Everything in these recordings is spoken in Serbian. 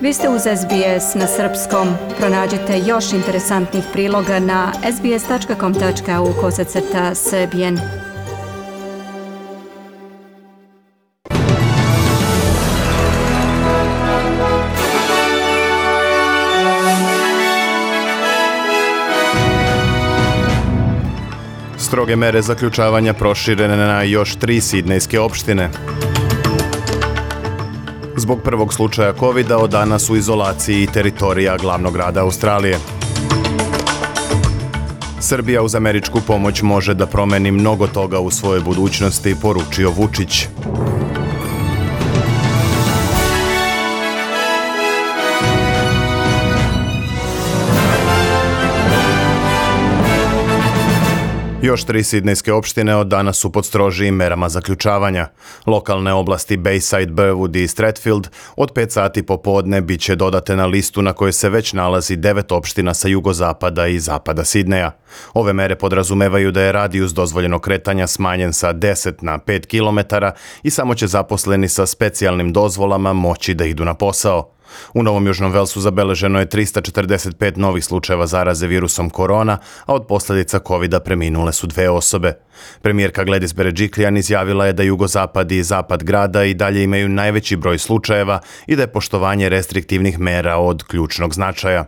Vi ste uz SBS na srpskom. Pronađite još interesantnih priloga na sbs.com.au/srbijen. Stroge mere zaključavanja proširene na još 3 sidnejske opštine. Zbog prvog slučaja COVID-a od danas u izolaciji teritorija glavnog grada Australije. Srbija uz američku pomoć može da promeni mnogo toga u svojoj budućnosti, poručio Vučić. Još 3 sidnejske opštine od danas su pod strožijim merama zaključavanja. Lokalne oblasti Bayside, Burwood i Strathfield od 5 sati popodne bit će dodate na listu na kojoj se već nalazi 9 opština sa jugozapada i zapada Sidneja. Ove mere podrazumevaju da je radijus dozvoljenog kretanja smanjen sa 10 na 5 km i samo će zaposleni sa specijalnim dozvolama moći da idu na posao. U Novom Južnom Velsu zabeleženo je 345 novih slučajeva zaraze virusom korona, a od posljedica COVID-a preminule su 2 osobe. Premijerka Gladys Berejiklian izjavila je da jugozapad i zapad grada i dalje imaju najveći broj slučajeva i da je poštovanje restriktivnih mera od ključnog značaja.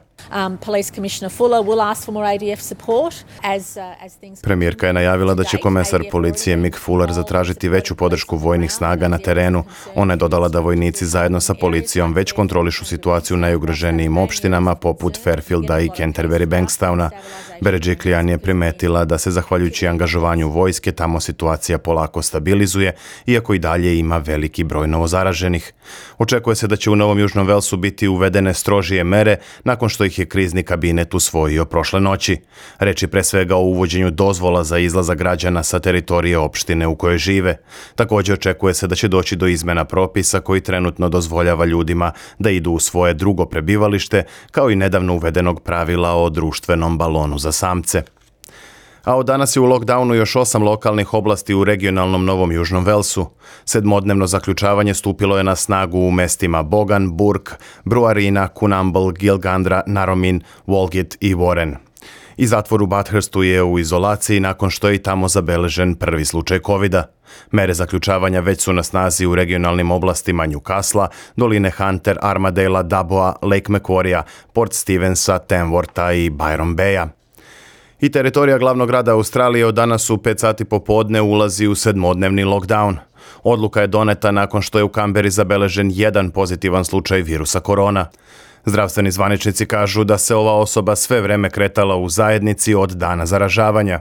Premijerka je najavila da će komesar policije Mick Fuller zatražiti veću podršku vojnih snaga na terenu. Ona je dodala da vojnici zajedno sa policijom već kontrolišu situaciju u najugroženijim opštinama poput Fairfielda i Canterbury Bankstowna. Berejiklian je primetila da se zahvaljujući angažovanju vojske tamo situacija polako stabilizuje, iako i dalje ima veliki broj novozaraženih. Očekuje se da će u Novom Južnom Velsu biti uvedene strožije mere nakon što ih je krizni kabinet usvojio prošle noći. Reč je pre svega o uvođenju dozvola za izlazak građana sa teritorije opštine u kojoj žive. Također očekuje se da će doći do izmena propisa koji trenutno dozvoljava ljudima da idu u svoje drugo prebivalište, kao i nedavno uvedenog pravila o društvenom balonu za samce. A od danas je u lockdownu još 8 lokalnih oblasti u regionalnom Novom Južnom Velsu. 7-dnevno zaključavanje stupilo je na snagu u mestima Bogan, Burke, Brewarrina, Coonamble, Gilgandra, Narromine, Walgett i Warren. I zatvor u Bathurstu je u izolaciji nakon što je i tamo zabeležen prvi slučaj COVID-a. Mere zaključavanja već su na snazi u regionalnim oblastima Newcastle, doline Hunter, Armadale, Daboa, Lake Macquarie, Port Stevensa, Tamwortha i Byron Baya. I teritorija glavnog grada Australije od danas u 5 sati popodne ulazi u 7-dnevni lockdown. Odluka je doneta nakon što je u Kamberi zabeležen 1 pozitivan slučaj virusa korona. Zdravstveni zvaničnici kažu da se ova osoba sve vreme kretala u zajednici od dana zaražavanja.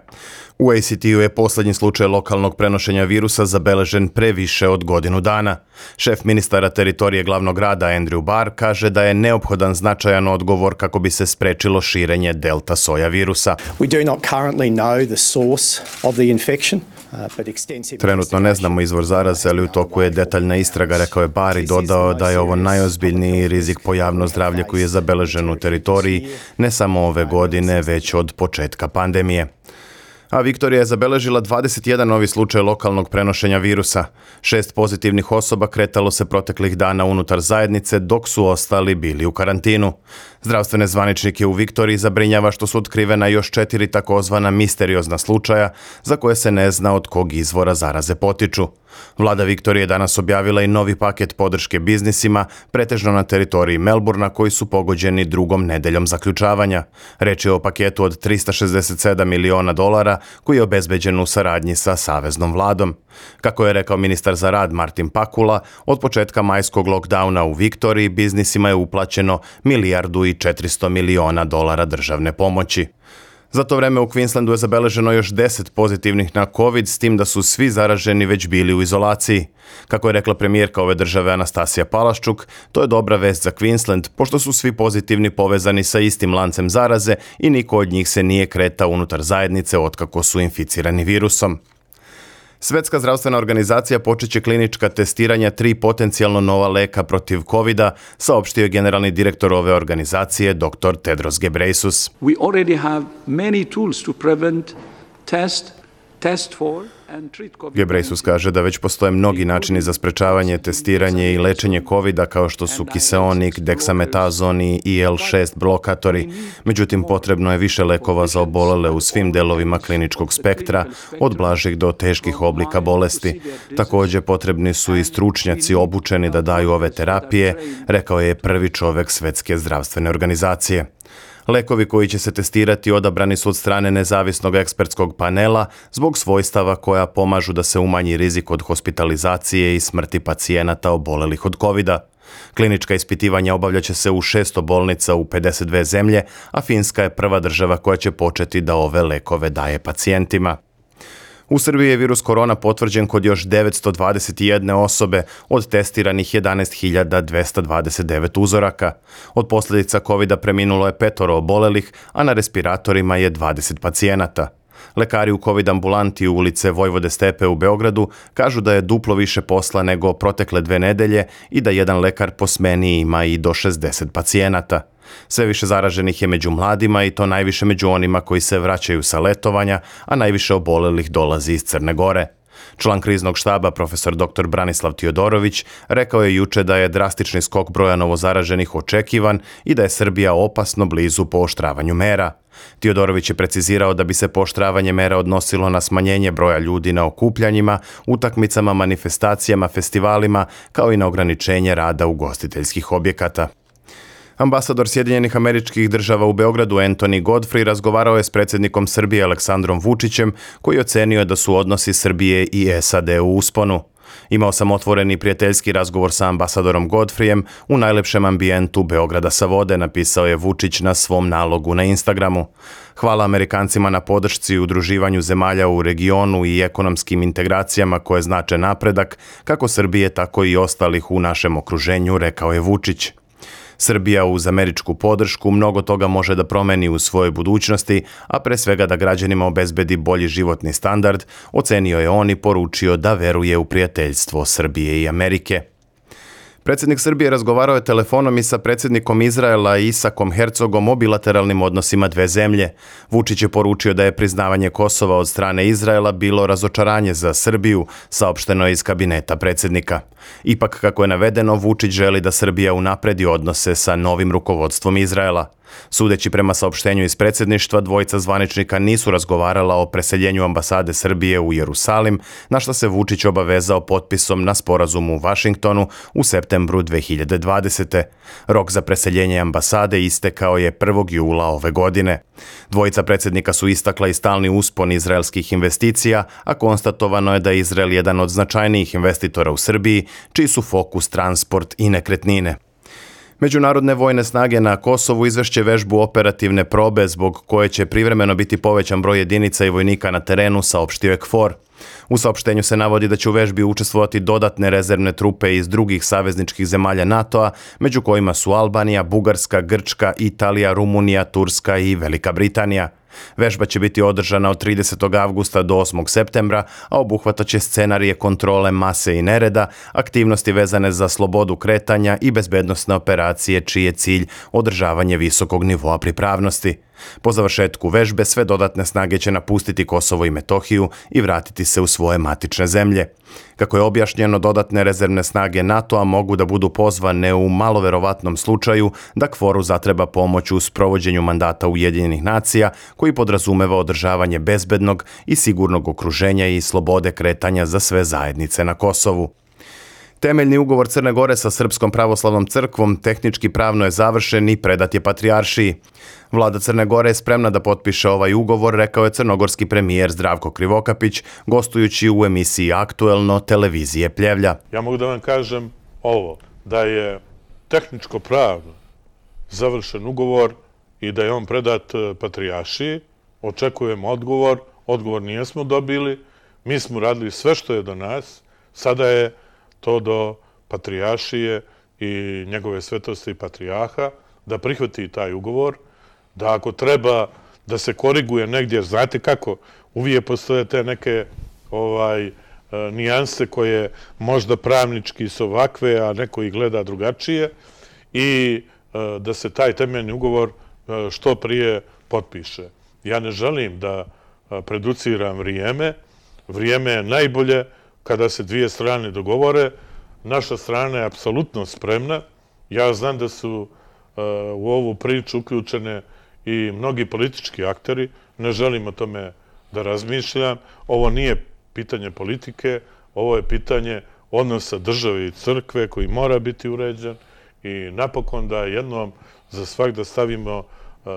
U ACT-u je posljednji slučaj lokalnog prenošenja virusa zabeležen pre više od godinu dana. Šef ministara teritorije glavnog grada Andrew Barr kaže da je neophodan značajan odgovor kako bi se sprečilo širenje delta soja virusa. We do not currently know the source of the infection. Trenutno ne znamo izvor zaraze, ali u toku je detaljna istraga, rekao je Barr i dodao da je ovo najozbiljniji rizik po javno zdravlje koji je zabeležen u teritoriji, ne samo ove godine, već od početka pandemije. A Viktorija je zabeležila 21 novi slučaj lokalnog prenošenja virusa. 6 pozitivnih osoba kretalo se proteklih dana unutar zajednice, dok su ostali bili u karantinu. Zdravstvene zvaničnike u Viktoriji zabrinjava što su otkrivena još 4 takozvana misteriozna slučaja za koje se ne zna od kog izvora zaraze potiču. Vlada Viktorije danas objavila i novi paket podrške biznisima, pretežno na teritoriji Melbourna, koji su pogođeni drugom nedeljom zaključavanja. Reč je o paketu od $367 miliona koji je obezbeđen u saradnji sa saveznom vladom. Kako je rekao ministar za rad Martin Pakula, od početka majskog lockdowna u Viktoriji biznisima je uplaćeno $1,4 miliona državne pomoći. Za to vreme u Queenslandu je zabeleženo još 10 pozitivnih na COVID, s tim da su svi zaraženi već bili u izolaciji. Kako je rekla premijerka ove države Anastasija Palaščuk, to je dobra vest za Queensland, pošto su svi pozitivni povezani sa istim lancem zaraze i niko od njih se nije kretao unutar zajednice otkako su inficirani virusom. Svetska zdravstvena organizacija počeće klinička testiranja 3 potencijalno nova leka protiv COVID-a, saopštio je generalni direktor ove organizacije, dr. Tedros Ghebreyesus. We already have many tools to prevent, test for Gebreyesus kaže da već postoje mnogi načini za sprečavanje, testiranje i lečenje COVID-a kao što su kiseonik, deksametazon i IL-6 blokatori. Međutim, potrebno je više lekova za obolele u svim delovima kliničkog spektra, od blažih do teških oblika bolesti. Također potrebni su i stručnjaci obučeni da daju ove terapije, rekao je prvi čovjek Svjetske zdravstvene organizacije. Lekovi koji će se testirati odabrani su od strane nezavisnog ekspertskog panela zbog svojstava koja pomažu da se umanji rizik od hospitalizacije i smrti pacijenata obolelih od COVID-a. Klinička ispitivanja obavljat će se u 600 bolnica u 52 zemlje, a Finska je prva država koja će početi da ove lekove daje pacijentima. U Srbiji je virus korona potvrđen kod još 921 osobe od testiranih 11.229 uzoraka. Od posljedica COVID-a preminulo je 5 obolelih, a na respiratorima je 20 pacijenata. Lekari u COVID ambulanti u ulice Vojvode Stepe u Beogradu kažu da je duplo više posla nego protekle 2 nedelje i da jedan lekar po smeni ima i do 60 pacijenata. Sve više zaraženih je među mladima i to najviše među onima koji se vraćaju sa letovanja, a najviše obolelih dolazi iz Crne Gore. Član kriznog štaba profesor dr. Branislav Tiodorović rekao je juče da je drastični skok broja novozaraženih očekivan i da je Srbija opasno blizu pooštravanju mera. Tiodorović je precizirao da bi se pooštravanje mera odnosilo na smanjenje broja ljudi na okupljanjima, utakmicama, manifestacijama, festivalima, kao i na ograničenje rada ugostiteljskih objekata. Ambasador Sjedinjenih Američkih Država u Beogradu Anthony Godfrey razgovarao je s predsjednikom Srbije Aleksandrom Vučićem, koji ocenio da su odnosi Srbije i SAD u usponu. Imao sam otvoreni prijateljski razgovor sa ambasadorom Godfreyem u najlepšem ambijentu Beograda sa vode, napisao je Vučić na svom nalogu na Instagramu. Hvala Amerikancima na podršci i udruživanju zemalja u regionu i ekonomskim integracijama koje znače napredak, kako Srbije, tako i ostalih u našem okruženju, rekao je Vučić. Srbija uz američku podršku mnogo toga može da promeni u svojoj budućnosti, a pre svega da građanima obezbedi bolji životni standard, ocenio je on i poručio da veruje u prijateljstvo Srbije i Amerike. Predsjednik Srbije razgovarao je telefonom i sa predsjednikom Izraela Isakom Herzogom o bilateralnim odnosima dve zemlje. Vučić je poručio da je priznavanje Kosova od strane Izraela bilo razočaranje za Srbiju, saopšteno je iz kabineta predsjednika. Ipak, kako je navedeno, Vučić želi da Srbija unapredi odnose sa novim rukovodstvom Izraela. Sudeći prema saopštenju iz predsjedništva, dvojica zvaničnika nisu razgovarala o preseljenju ambasade Srbije u Jerusalim, na što se Vučić obavezao potpisom na sporazumu u Vašingtonu u septembru 2020. Rok za preseljenje ambasade istekao je 1. jula ove godine. Dvojica predsjednika su istakla i stalni uspon izraelskih investicija, a konstatovano je da je Izrael jedan od značajnijih investitora u Srbiji, čiji su fokus transport i nekretnine. Međunarodne vojne snage na Kosovu izvešće vežbu operativne probe zbog koje će privremeno biti povećan broj jedinica i vojnika na terenu, saopštio je KFOR. U saopštenju se navodi da će u vežbi učestvovati dodatne rezervne trupe iz drugih savezničkih zemalja NATO-a, među kojima su Albanija, Bugarska, Grčka, Italija, Rumunija, Turska i Velika Britanija. Vežba će biti održana od 30. avgusta do 8. septembra, a obuhvataće scenarije kontrole mase i nereda, aktivnosti vezane za slobodu kretanja i bezbednosne operacije čiji je cilj održavanje visokog nivoa pripravnosti. Po završetku vežbe sve dodatne snage će napustiti Kosovo i Metohiju i vratiti se u svoje matične zemlje. Kako je objašnjeno, dodatne rezervne snage NATO-a mogu da budu pozvane u maloverovatnom slučaju da KFOR-u zatreba pomoć u sprovođenju mandata Ujedinjenih nacija, koji podrazumeva održavanje bezbednog i sigurnog okruženja i slobode kretanja za sve zajednice na Kosovu. Temeljni ugovor Crne Gore sa Srpskom pravoslavnom crkvom tehnički pravno je završen i predat je Patrijaršiji. Vlada Crne Gore je spremna da potpiše ovaj ugovor, rekao je crnogorski premijer Zdravko Krivokapić, gostujući u emisiji Aktuelno televizije Pljevlja. Ja mogu da vam kažem ovo, da je tehničko pravno završen ugovor i da je on predat Patrijaršiji. Očekujemo odgovor nijesmo dobili, mi smo radili sve što je do nas, sada je to do Patrijaršije i njegove svetosti patrijarha, da prihvati taj ugovor, da ako treba da se koriguje negdje, znate kako, uvijek postoje te neke nijanse koje možda pravnički su ovakve, a neko ih gleda drugačije, i da se taj temeljni ugovor što prije potpiše. Ja ne želim da preduciram vrijeme, vrijeme je najbolje kada se dvije strane dogovore. Naša strana je apsolutno spremna. Ja znam da su u ovu priču uključene i mnogi politički akteri. Ne želim o tome da razmišljam. Ovo nije pitanje politike, ovo je pitanje odnosa države i crkve koji mora biti uređen i napokon da jednom za svak da stavimo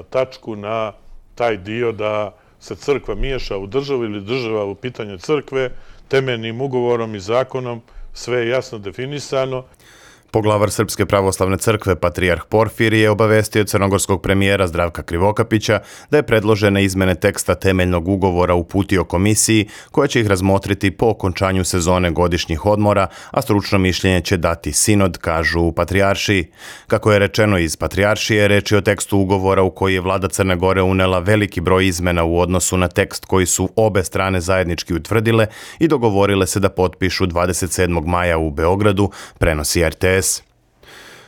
tačku na taj dio da se crkva miješa u državu ili država u pitanje crkve, temeljnim ugovorom i zakonom, sve je jasno definisano. Poglavar Srpske pravoslavne crkve, patrijarh Porfirije, obavestio crnogorskog premijera Zdravka Krivokapića da je predložene izmene teksta temeljnog ugovora uputio komisiji koja će ih razmotriti po okončanju sezone godišnjih odmora, a stručno mišljenje će dati sinod, kažu u patrijaršiji. Kako je rečeno iz patrijaršije, reč je o tekstu ugovora u koji je vlada Crne Gore unela veliki broj izmena u odnosu na tekst koji su obe strane zajednički utvrdile i dogovorile se da potpišu 27. maja u Beogradu, prenosi RTS.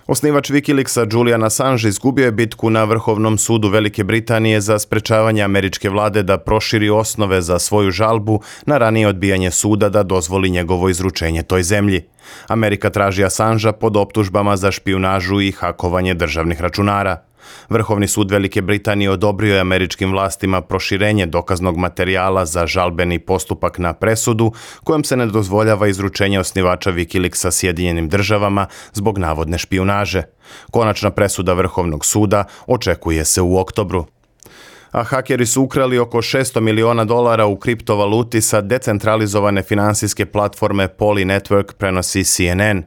Osnivač Wikileaksa Julian Assange izgubio je bitku na Vrhovnom sudu Velike Britanije za sprečavanje američke vlade da proširi osnove za svoju žalbu na ranije odbijanje suda da dozvoli njegovo izručenje toj zemlji. Amerika traži Assangea pod optužbama za špijunažu i hakovanje državnih računara. Vrhovni sud Velike Britanije odobrio je američkim vlastima proširenje dokaznog materijala za žalbeni postupak na presudu, kojom se ne dozvoljava izručenje osnivača Wikileaksa Sjedinjenim državama zbog navodne špijunaže. Konačna presuda Vrhovnog suda očekuje se u oktobru. A hakeri su ukrali oko $600 miliona u kriptovaluti sa decentralizovane finansijske platforme Poly Network, prenosi CNN.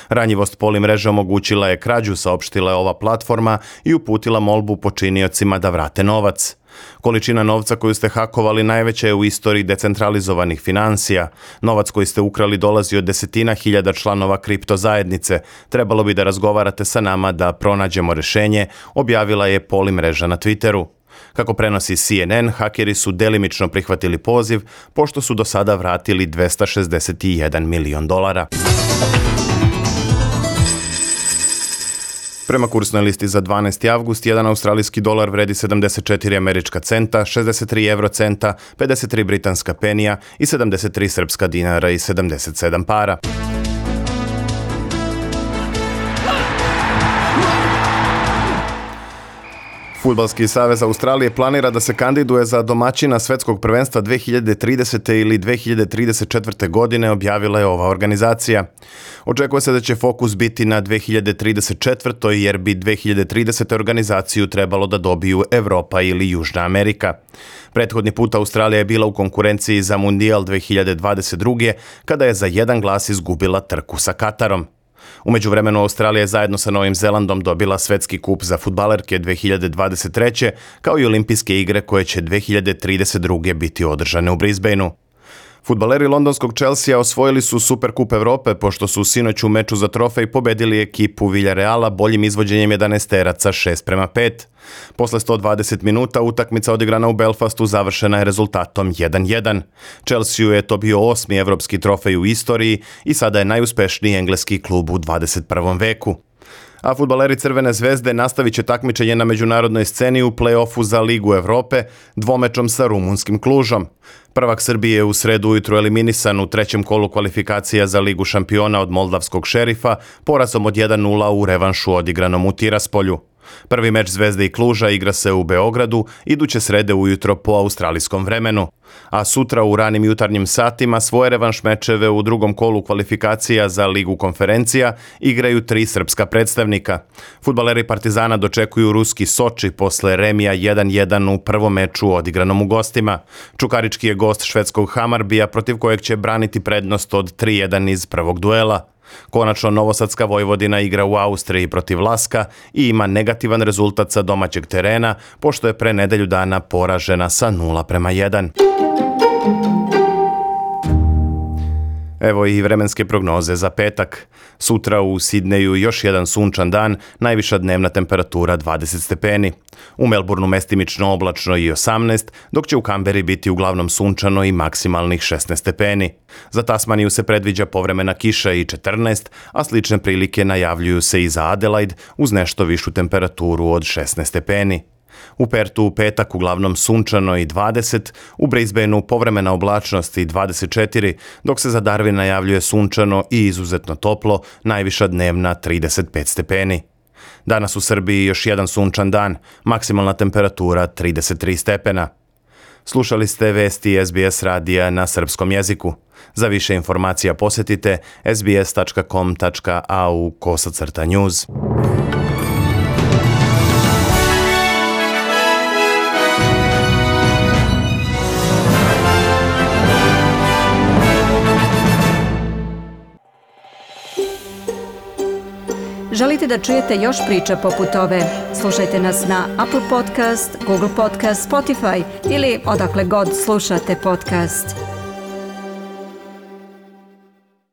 Ranjivost Poly mreže omogućila je krađu, saopštila je ova platforma i uputila molbu počiniocima da vrate novac. Količina novca koju ste hakovali najveća je u istoriji decentralizovanih finansija. Novac koji ste ukrali dolazi od desetina hiljada članova kripto zajednice. Trebalo bi da razgovarate sa nama da pronađemo rešenje, objavila je Poly mreža na Twitteru. Kako prenosi CNN, hakeri su delimično prihvatili poziv, pošto su do sada vratili $261 milion. Prema kursnoj listi za 12. avgust, jedan australijski dolar vredi 74 američka centa, 63 eurocenta, 53 britanska penija i 73 srpska dinara i 77 para. Fudbalski savez Australije planira da se kandiduje za domaćina svetskog prvenstva 2030. ili 2034. godine, objavila je ova organizacija. Očekuje se da će fokus biti na 2034. jer bi 2030. organizaciju trebalo da dobiju Evropa ili Južna Amerika. Prethodni put Australija je bila u konkurenciji za Mundijal 2022. kada je za jedan glas izgubila trku sa Katarom. U međuvremenu Australija je zajedno sa Novim Zelandom dobila svetski kup za fudbalerke 2023. kao i olimpijske igre koje će 2032. biti održane u Brisbaneu. Fudbaleri londonskog Chelsea osvojili su Superkup Evrope pošto su sinoć u meču za trofej pobedili ekipu Villareala boljim izvođenjem 11-teraca 6:5. Posle 120 minuta utakmica odigrana u Belfastu završena je rezultatom 1:1. Chelsea je to bio 8. evropski trofej u istoriji i sada je najuspešniji engleski klub u 21. veku. A fudbaleri Crvene zvezde nastavit će takmičenje na međunarodnoj sceni u play-offu za Ligu Evrope dvomečom sa rumunskim Klužom. Prvak Srbije je u sredu ujutru eliminisan u trećem kolu kvalifikacija za Ligu šampiona od moldavskog Šerifa porazom od 1:0 u revanšu odigranom u Tiraspolju. Prvi meč Zvezde i Kluža igra se u Beogradu iduće srede ujutro po australijskom vremenu. A sutra u ranim jutarnjim satima svoje revanš mečeve u drugom kolu kvalifikacija za Ligu konferencija igraju 3 srpska predstavnika. Fudbaleri Partizana dočekuju ruski Soči posle remija 1:1 u prvom meču odigranom u gostima. Čukarički je gost švedskog Hamarbija protiv kojeg će braniti prednost od 3:1 iz prvog duela. Konačno Novosadska Vojvodina igra u Austriji protiv Laska i ima negativan rezultat sa domaćeg terena, pošto je pre nedelju dana poražena sa 0:1. Evo i vremenske prognoze za petak. Sutra u Sidneju još jedan sunčan dan, najviša dnevna temperatura 20 stepeni. U Melbourneu mestimično oblačno i 18, dok će u Kamberi biti uglavnom sunčano i maksimalnih 16 stepeni. Za Tasmaniju se predviđa povremena kiša i 14, a slične prilike najavljuju se i za Adelaide uz nešto višu temperaturu od 16 stepeni. U Pertu u petak uglavnom sunčano i 20, u Brisbaneu povremena oblačnost i 24, dok se za Darwin najavljuje sunčano i izuzetno toplo, najviša dnevna 35 stepeni. Danas u Srbiji još jedan sunčan dan, maksimalna temperatura 33 stepena. Slušali ste vesti SBS radija na srpskom jeziku. Za više informacija posjetite sbs.com.au/news. Želite da čujete još priča poput ove? Slušajte nas na Apple Podcast, Google Podcast, Spotify ili odakle god slušate podcast.